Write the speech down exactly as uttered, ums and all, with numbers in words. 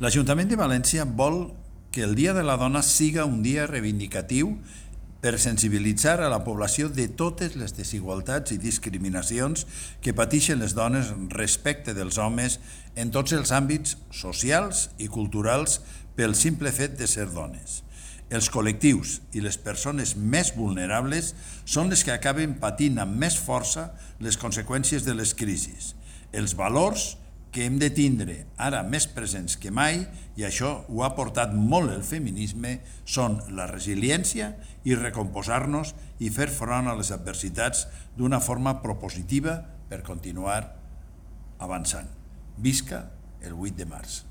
L'Ajuntament de València vol que el Dia de la Dona siga un dia reivindicatiu per sensibilitzar a la població de totes les desigualtats i discriminacions que pateixen les dones respecte dels homes en tots els àmbits socials i culturals pel simple fet de ser dones. Els col·lectius i les persones més vulnerables són les que acaben patint amb més força les conseqüències de les crisis. Els valors que hem de tindre ara més presents que mai, i això ho ha portat molt el feminisme, són la resiliència i recomposar-nos i fer front a les adversitats d'una forma propositiva per continuar avançant. Visca el vuit de març.